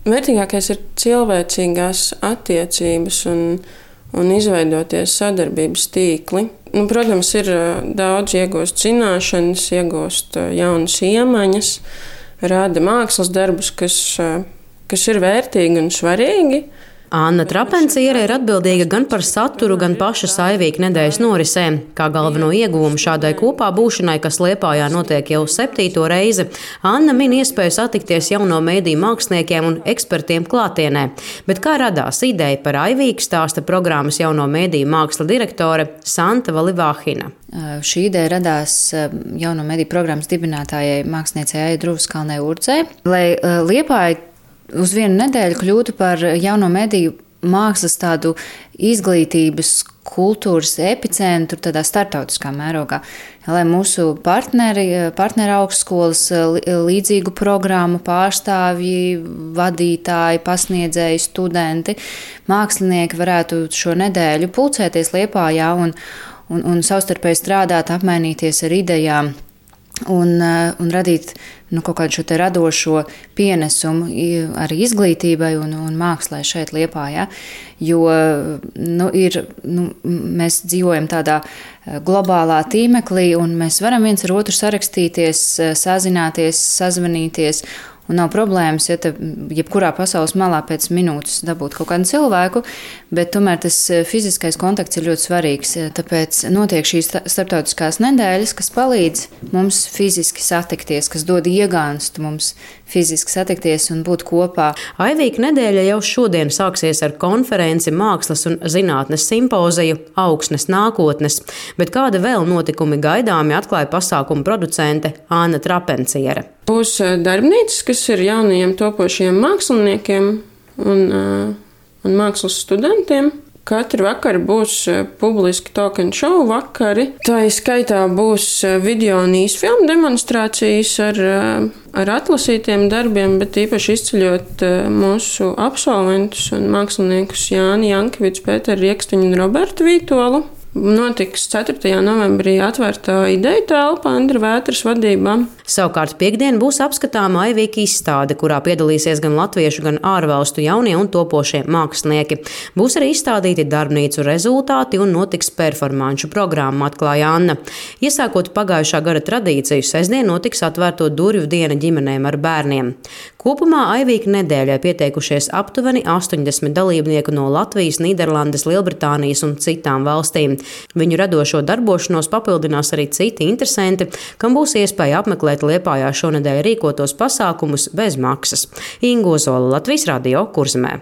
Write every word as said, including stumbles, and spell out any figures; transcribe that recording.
Vērtīgākais ir cilvēcīgās attiecības un, un izveidoties sadarbības tīkli. Nu, protams, ir daudz iegūst zināšanas, iegūst jaunas iemaņas, rada mākslas darbus, kas, kas ir vērtīgi un svarīgi. Anna Trapenciere ir atbildīga gan par saturu, gan pašas Aivīka nedēļas norisēm. Kā galveno ieguvumu šādai kopā būšanai, kas Liepājā notiek jau septīto reizi, Anna min iespēju satikties jauno mēdīju māksliniekiem un ekspertiem klātienē. Bet kā radās ideja par Aivīku, stāsta programmas jauno mēdīju māksla direktore Santa Valivāhina. Šī ideja radās jauno mēdīju programmas dibinātājai māksliniecei Aijai Druvskalnei Urdzei, lai Liepāja uz vienu nedēļu kļūtu par jauno mediju mākslas tādu izglītības, kultūras epicentru tādā startautiskā mērogā. Lai mūsu partneri, partneri augstskolas, līdzīgu programmu pārstāvji, vadītāji, pasniedzēji, studenti, mākslinieki varētu šo nedēļu pulcēties Liepājā un, un, un savstarpēji strādāt, apmainīties ar idejām. Un, un radīt nu, kaut kādu šo te radošo pienesumu arī izglītībai un, un mākslai šeit Liepājā. Jo nu, ir, nu, mēs dzīvojam tādā globālā tīmeklī un mēs varam viens ar otru sarakstīties, sazināties, sazvanīties. Un nav problēmas, ja te jebkurā pasaules malā pēc minūtes dabūt kaut kādu cilvēku, bet tomēr tas fiziskais kontakts ir ļoti svarīgs. Tāpēc notiek šīs starptautiskās nedēļas, kas palīdz mums fiziski satikties, kas dod iegānstu mums fiziski satikties un būt kopā. Aivīka nedēļa jau šodien sāksies ar konferenci Mākslas un zinātnes simpoziju Augsnes nākotnes, bet kāda vēl notikumi gaidāmi atklāja pasākumu producente Anna Trapenciere. Būs darbnīcas, kas ir jaunajiem topošiem māksliniekiem un, un mākslas studentiem. Katru vakaru būs publiski talk and show vakari. Tā skaitā būs video un īsfilmu demonstrācijas ar, ar atlasītiem darbiem, bet īpaši izceļot mūsu absolventus un māksliniekus Jāni Jankeviču, Pēteru Riekstiņu un Robertu Vītolu. Notiks ceturtajā novembrī atvērtā ideja telpa Andra Vētras vadībā. Savukārt piekdien būs apskatāma Aivīka izstāde, kurā piedalīsies gan latviešu, gan ārvalstu jaunie un topošie mākslinieki. Būs arī izstādīti darbnīcu rezultāti un notiks performanču programma, atklāja Anna. Iesākot pagājušā gada tradīciju, sestdien notiks atvērto durvju diena ģimenēm ar bērniem. Kopumā Aivīka nedēļai pieteikušies aptuveni astoņdesmit dalībnieku no Latvijas, Nīderlandes, Lielbritānijas un citām valstīm. Viņu radošo darbošanos papildinās arī citi interesanti, kam būs iespēja apmeklēt Liepājā šonedēļ rīkotos pasākumus bez maksas. Inga Ozola, Latvijas Radio, Kurzemē.